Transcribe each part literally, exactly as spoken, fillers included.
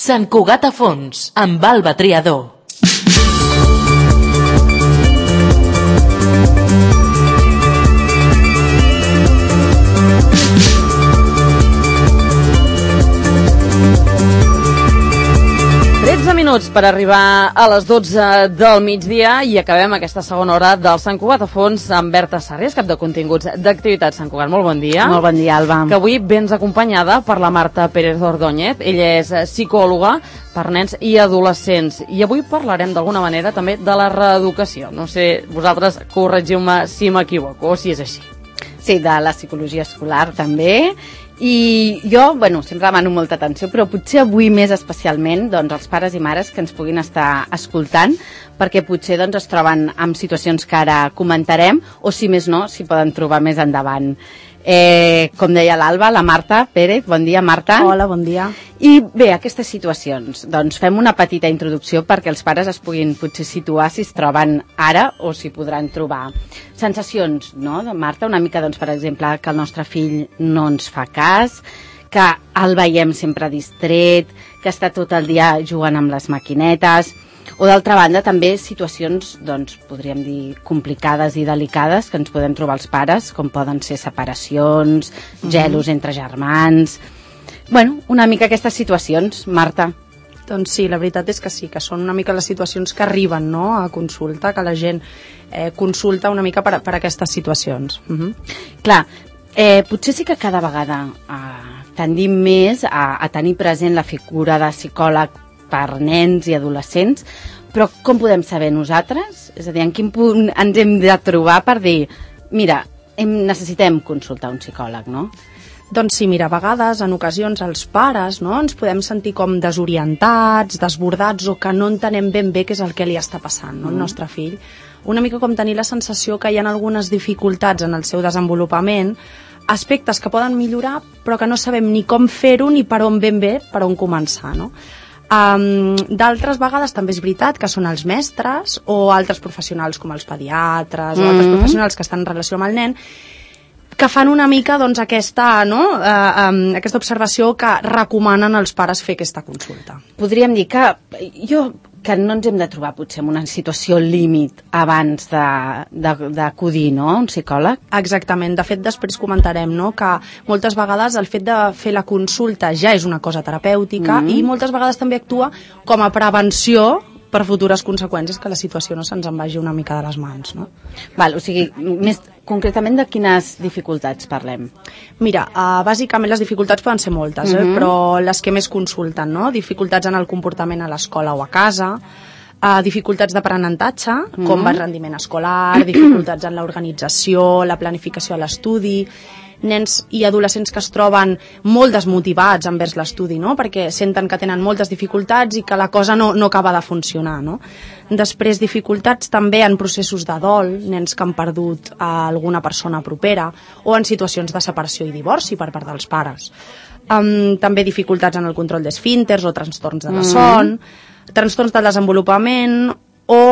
Sant Cugat a fons, amb Alba Triador. tretze minuts per arribar a les dotze del migdia i acabem aquesta segona hora del Sant Cugat a fons amb Berta Sarriés, cap de continguts d'activitat Sant Cugat. Molt bon dia. Molt bon dia, Alba. Que avui vens acompanyada per la Marta Pérez Ordóñez. Ella és psicòloga per nens i adolescents. I avui parlarem d'alguna manera també de la reeducació. No sé, vosaltres corregiu-me si m'equivoco o si és així. Sí, de la psicologia escolar també. I jo, bueno, sempre demano molta atenció, però potser avui més especialment doncs, els pares i mares que ens puguin estar escoltant, perquè potser doncs, es troben en situacions que ara comentarem, o si més no, s'hi poden trobar més endavant. Eh, com deia l'Alba, la Marta Pérez, bon dia Marta. Hola, bon dia. I bé, aquestes situacions, doncs fem una petita introducció perquè els pares es puguin potser situar si es troben ara o si podran trobar. Sensacions, no, Marta? Una mica, doncs, per exemple, que el nostre fill no ens fa cas, que el veiem sempre distret, que està tot el dia jugant amb les maquinetes, o d'altra banda també situacions, doncs, podríem dir, complicades i delicades que ens podem trobar els pares, com poden ser separacions, gelos mm-hmm. entre germans. Bueno, una mica aquestes situacions, Marta. Doncs sí, la veritat és que sí, que són una mica les situacions que arriben, no?, a consulta, que la gent eh, consulta una mica per, per aquestes situacions. Mm-hmm. Clar, eh, potser sí que cada vegada eh, tendim més a, a tenir present la figura de psicòleg per nens i adolescents, però com podem saber nosaltres? És a dir, en quin punt ens hem de trobar per dir, mira, hem, necessitem consultar un psicòleg, no? Doncs sí, mira, a vegades, en ocasions, els pares, no?, ens podem sentir com desorientats, desbordats, o que no entenem ben bé què és el que li està passant, no?, al mm. nostre fill. Una mica com tenir la sensació que hi ha algunes dificultats en el seu desenvolupament, aspectes que poden millorar, però que no sabem ni com fer-ho ni per on ben bé, per on començar, no? Um, d'altres vegades també és veritat que són els mestres o altres professionals com els pediatres mm. o altres professionals que estan en relació amb el nen que fan una mica doncs, aquesta, no? uh, um, aquesta observació que recomanen als pares fer aquesta consulta. Podríem dir que jo que no ens hem de trobar potser en una situació límit abans d'acudir, no?, a un psicòleg? Exactament. De fet, després comentarem, no?, que moltes vegades el fet de fer la consulta ja és una cosa terapèutica mm-hmm. i moltes vegades també actua com a prevenció per futures conseqüències, que la situació no se'ns en vagi una mica de les mans, no? Val, o sigui, més concretament de quines dificultats parlem? Mira, uh, bàsicament les dificultats poden ser moltes, mm-hmm. eh? Però les que més consulten, no? Dificultats en el comportament a l'escola o a casa, uh, dificultats d'aprenentatge, mm-hmm. com va el rendiment escolar, dificultats en l'organització, la planificació a l'estudi, nens i adolescents que es troben molt desmotivats envers l'estudi, no?, perquè senten que tenen moltes dificultats i que la cosa no, no acaba de funcionar, no? Després, dificultats també en processos de dol, nens que han perdut a alguna persona propera, o en situacions de separació i divorci per part dels pares. Um, també dificultats en el control d'esfínters o trastorns de la son, mm. trastorns del desenvolupament o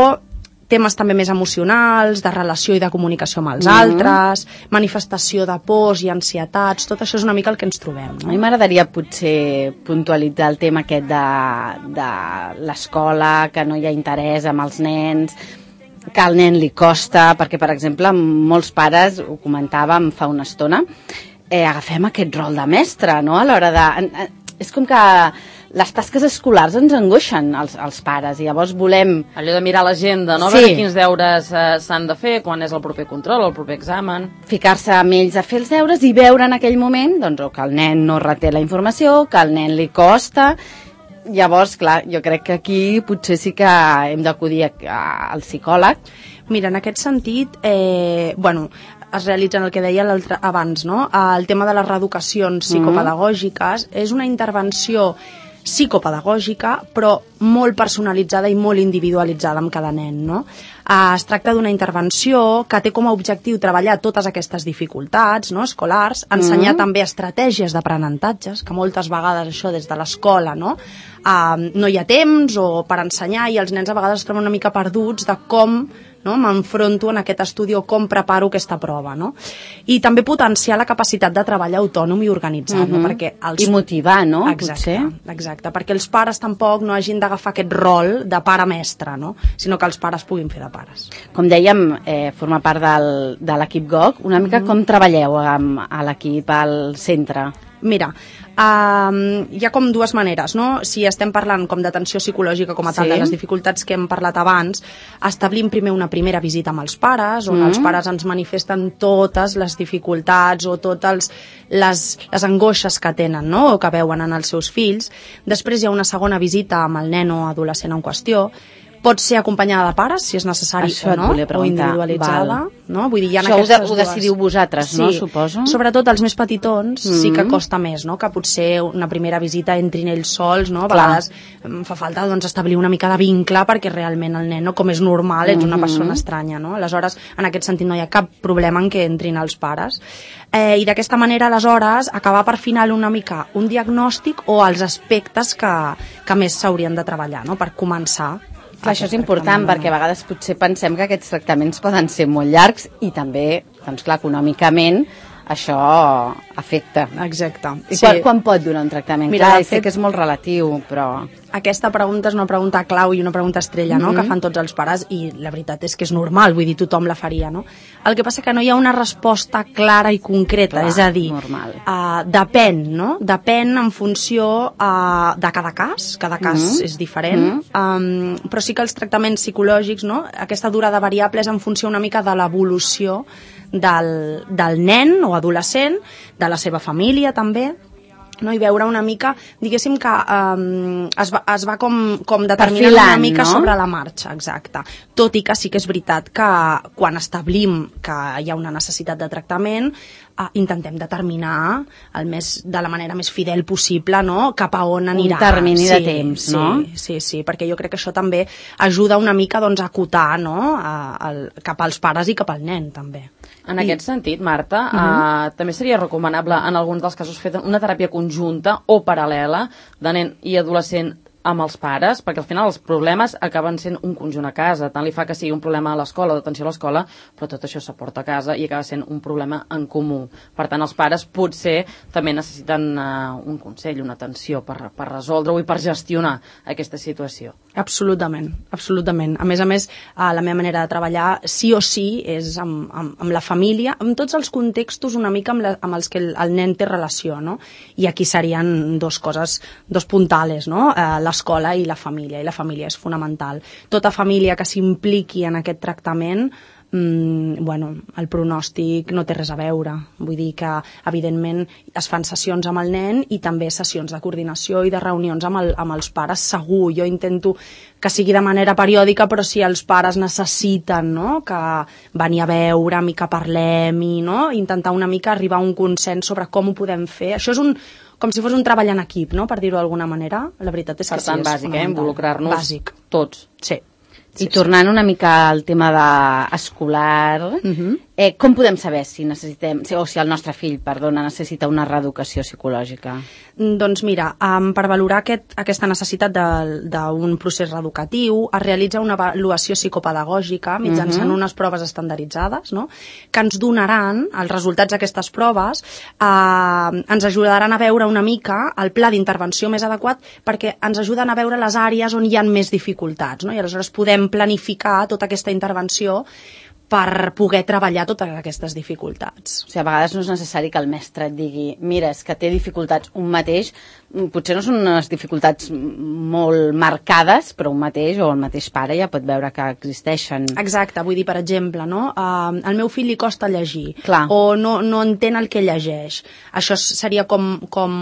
temes també més emocionals, de relació i de comunicació amb els mm. altres, manifestació de pors i ansietats, tot això és una mica el que ens trobem, no? A mi m'agradaria potser puntualitzar el tema aquest de, de l'escola, que no hi ha interès amb els nens, que al nen li costa, perquè, per exemple, molts pares, ho comentàvem fa una estona, eh, agafem aquest rol de mestre, no?, a l'hora de... És com que les tasques escolars ens angoixen als, als pares i llavors volem... Allò de mirar l'agenda, no? Sí. Veure quins deures eh, s'han de fer, quan és el proper control, el proper examen... Ficar-se amb ells a fer els deures i veure en aquell moment doncs, o que el nen no reté la informació, que al nen li costa... Llavors, clar, jo crec que aquí potser sí que hem d'acudir al psicòleg. Mira, en aquest sentit, eh, bueno... es realitzen el que deia abans, no? El tema de les reeducacions psicopedagògiques mm-hmm. és una intervenció psicopedagògica, però molt personalitzada i molt individualitzada amb cada nen, no? Uh, es tracta d'una intervenció que té com a objectiu treballar totes aquestes dificultats, no?, escolars, ensenyar mm. també estratègies d'aprenentatges, que moltes vegades això des de l'escola, no?, uh, no hi ha temps o per ensenyar, i els nens a vegades es troben una mica perduts de com, no?, m'enfronto en aquest estudi o com preparo aquesta prova, no? I també potenciar la capacitat de treball autònom i organitzat, mm-hmm. no? Perquè els... I motivar, no? Exacte, exacte, perquè els pares tampoc no hagin d'agafar aquest rol de pare-mestre, no? Sinó que els pares puguin fer de pares. Com dèiem, eh, forma part del, de l'equip G O C. Una mica mm-hmm. com treballeu amb, a l'equip, al centre? Mira, um, hi ha com dues maneres, no? Si estem parlant com d'atenció psicològica com a tal, sí. de les dificultats que hem parlat abans, establim primer una primera visita amb els pares, on mm. els pares ens manifesten totes les dificultats o totes les, les angoixes que tenen, no?, o que veuen en els seus fills. Després hi ha una segona visita amb el nen o adolescent en qüestió. Pot ser acompanyada de pares, si és necessari Això o no, o individualitzada. No? Vull dir, hi ha Això aquestes ho, ho decidiu dues... vosaltres, sí. no, suposo? Sobretot els més petitons mm-hmm. sí que costa més, no?, que potser una primera visita entrin ells sols, no? A vegades em fa falta doncs, establir una mica de vincle perquè realment el nen, no, com és normal, ets una mm-hmm. persona estranya, no? Aleshores, en aquest sentit no hi ha cap problema en què entrin els pares. Eh, I d'aquesta manera, aleshores, acabar per final una mica un diagnòstic o els aspectes que, que més s'haurien de treballar, no?, per començar. Clar, això és important perquè a vegades potser pensem que aquests tractaments poden ser molt llargs i també, doncs clar, econòmicament això afecta. Exacte. I sí. quan, quan pot durar un tractament? Mira, clar, fet... sé que és molt relatiu, però... Aquesta pregunta és una pregunta clau i una pregunta estrella, no?, mm-hmm. que fan tots els pares, i la veritat és que és normal, vull dir, tothom la faria, no? El que passa que no hi ha una resposta clara i concreta, clar, és a dir, uh, depèn, no? Depèn en funció uh, de cada cas, cada cas mm-hmm. és diferent, mm-hmm. um, però sí que els tractaments psicològics, no?, aquesta durada variable és en funció una mica de l'evolució del, del nen o adolescent, de la seva família també, no? I veure una mica, diguéssim que um, es va, es va com, com determinant Perfilant, una mica no? sobre la marxa, exacte. Tot i que sí que és veritat que quan establim que hi ha una necessitat de tractament, uh, intentem determinar el més, de la manera més fidel possible, no?, cap a on anirà. Un termini sí, de temps, sí, no? Sí, sí, sí, perquè jo crec que això també ajuda una mica doncs, a acotar, no?, a, a, cap als pares i cap al nen, també. En I... aquest sentit, Marta, uh-huh. uh, també seria recomanable en alguns dels casos fer una teràpia conjunta o paral·lela de nen i adolescent amb els pares, perquè al final els problemes acaben sent un conjunt a casa. Tant li fa que sigui un problema a l'escola, d'atenció a l'escola, però tot això s'aporta a casa i acaba sent un problema en comú. Per tant, els pares potser també necessiten uh, un consell, una atenció per, per resoldre-ho i per gestionar aquesta situació. Absolutament, absolutament. A més a més, uh, la meva manera de treballar sí o sí és amb, amb, amb la família, amb tots els contextos una mica amb, la, amb els que el, el nen té relació, no? I aquí serien dos coses, dos puntales, no? Uh, l'escola i la família, i la família és fonamental. Tota família que s'impliqui en aquest tractament, mmm, bueno, el pronòstic no té res a veure. Vull dir que, evidentment, es fan sessions amb el nen i també sessions de coordinació i de reunions amb, el, amb els pares, segur. Jo intento que sigui de manera periòdica, però si els pares necessiten, no?, que venir a veure'm i que parlem i, no?, intentar una mica arribar a un consens sobre com ho podem fer. Això és un com si fos un treball en equip, no?, per dir-ho d'alguna manera. La veritat és que per tant, sí, és bàsic, eh? Involucrar-nos bàsic. Tots. Sí. I sí, tornant sí. una mica al tema de escolar, uh-huh. eh, com podem saber si necessitem, o si el nostre fill, perdona, necessita una reeducació psicològica? Doncs mira, um, per valorar aquest, aquesta necessitat d'un procés reeducatiu es realitza una avaluació psicopedagògica mitjançant uh-huh. unes proves estandarditzades, no?, que ens donaran els resultats d'aquestes proves, eh, ens ajudaran a veure una mica el pla d'intervenció més adequat, perquè ens ajuden a veure les àrees on hi ha més dificultats, no?, i aleshores podem planificar tota aquesta intervenció per poder treballar totes aquestes dificultats. O sigui, a vegades no és necessari que el mestre et digui mira, és que té dificultats un mateix, potser no són unes dificultats molt marcades, però un mateix o el mateix pare ja pot veure que existeixen. Exacte, vull dir, per exemple, no? Uh, al meu fill li costa llegir, Clar. o no, no entén el que llegeix. Això seria com... com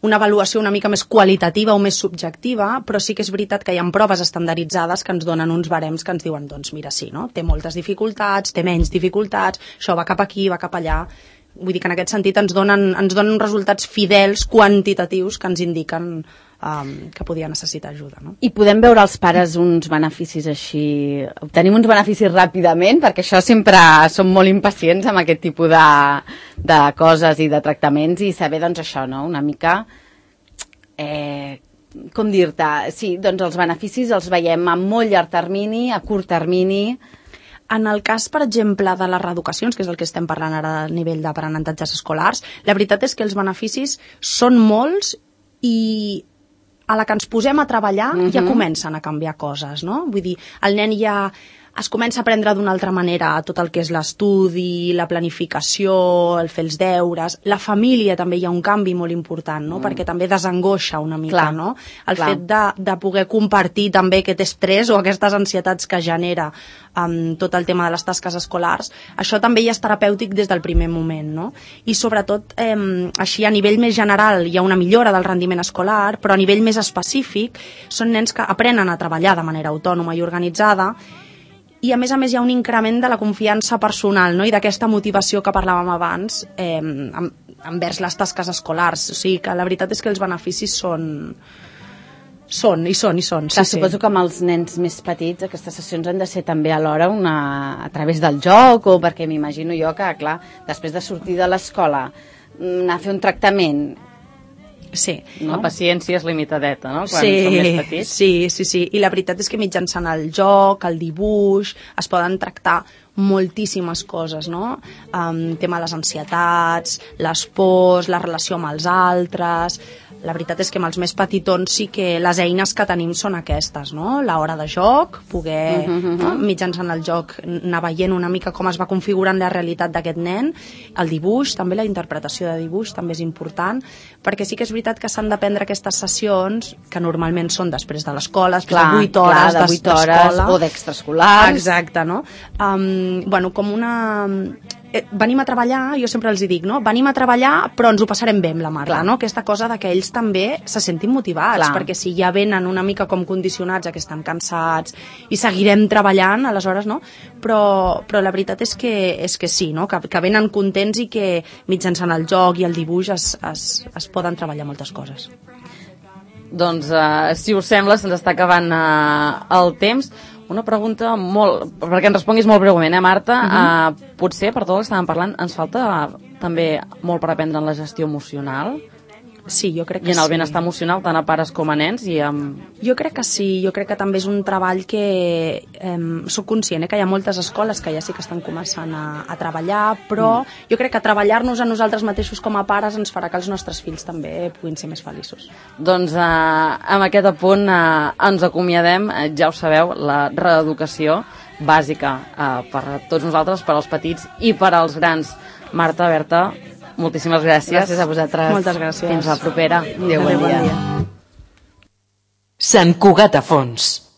una avaluació una mica més qualitativa o més subjectiva, però sí que és veritat que hi ha proves estandarditzades que ens donen uns barems que ens diuen, doncs mira, sí, no? Té moltes dificultats, té menys dificultats, això va cap aquí, va cap allà. Vull dir que en aquest sentit ens donen, ens donen resultats fidels, quantitatius, que ens indiquen um, que podia necessitar ajuda. No? I podem veure els pares uns beneficis així, obtenim uns beneficis ràpidament, perquè això sempre som molt impacients amb aquest tipus de, de coses i de tractaments, i saber, doncs, això, no?, una mica, eh, com dir-te, sí, doncs els beneficis els veiem a molt llarg termini, a curt termini. En el cas, per exemple, de les reeducacions, que és el que estem parlant ara a nivell d'aprenentatges escolars, la veritat és que els beneficis són molts i a la que ens posem a treballar uh-huh. ja comencen a canviar coses, no? Vull dir, el nen ja es comença a aprendre d'una altra manera tot el que és l'estudi, la planificació, el fer els deures. La família també hi ha un canvi molt important, no? Mm. Perquè també desangoixa una mica, clar, no? El clar. fet de, de poder compartir també aquest estrès o aquestes ansietats que genera um, tot el tema de les tasques escolars, això també ja és terapèutic des del primer moment, no? I sobretot, eh, així a nivell més general hi ha una millora del rendiment escolar, però a nivell més específic són nens que aprenen a treballar de manera autònoma i organitzada, i a més a més hi ha un increment de la confiança personal, no?, i d'aquesta motivació que parlàvem abans eh, envers les tasques escolars. O sigui que la veritat és que els beneficis són... Són, i són, i són. Clar, sí, suposo sí. que amb els nens més petits aquestes sessions han de ser també alhora una, a través del joc, o perquè m'imagino jo que, clar, després de sortir de l'escola, anar a fer un tractament... Sí. No? La paciència és limitadeta, no?, quan sí, som més petits. Sí, sí, sí. I la veritat és que mitjançant el joc, el dibuix, es poden tractar moltíssimes coses, no? Um, tema de les ansietats, les pors, la relació amb els altres... La veritat és que amb els més petitons sí que les eines que tenim són aquestes, no? L'hora de joc, poder, uh -huh, no? mitjançant el joc, anar veient una mica com es va configurant la realitat d'aquest nen, el dibuix, també la interpretació de dibuix també és important, perquè sí que és veritat que s'han de prendre aquestes sessions, que normalment són després de l'escola, després clar, de vuit hores, clar, de vuit hores o d'extraescolars. Exacte, no? Um, bueno, com una... Eh, venim a treballar, jo sempre els hi dic, no? Venim a treballar, però ens ho passarem bé amb la Marta, clar, no? Aquesta cosa de que ells també se sentin motivats, clar, perquè si ja venen una mica com condicionats a que estan cansats i seguirem treballant, aleshores, no? Però, però la veritat és que, és que sí, no? Que, que venen contents i que mitjançant el joc i el dibuix es, es, es poden treballar moltes coses. Doncs, uh, si us sembla, se'ns està acabant uh, el temps. Una pregunta molt... perquè ens responguis molt breument, eh, Marta? Uh -huh. uh, potser, per tot el que estàvem parlant, ens falta uh, també molt per aprendre en la gestió emocional? Sí, jo crec que sí. I en el sí. benestar emocional, tant a pares com a nens? I amb... Jo crec que sí, jo crec que també és un treball que... Eh, soc conscient eh, que hi ha moltes escoles que ja sí que estan començant a, a treballar, però mm. jo crec que treballar-nos a nosaltres mateixos com a pares ens farà que els nostres fills també puguin ser més feliços. Doncs eh, amb aquest apunt eh, ens acomiadem, eh, ja ho sabeu, la reeducació bàsica eh, per a tots nosaltres, per als petits i per als grans. Marta, Berta, moltíssimes gràcies. Gràcies a vosaltres. Moltes gràcies. Fins la propera. Adéu, bon dia. Sant Cugat a Fons.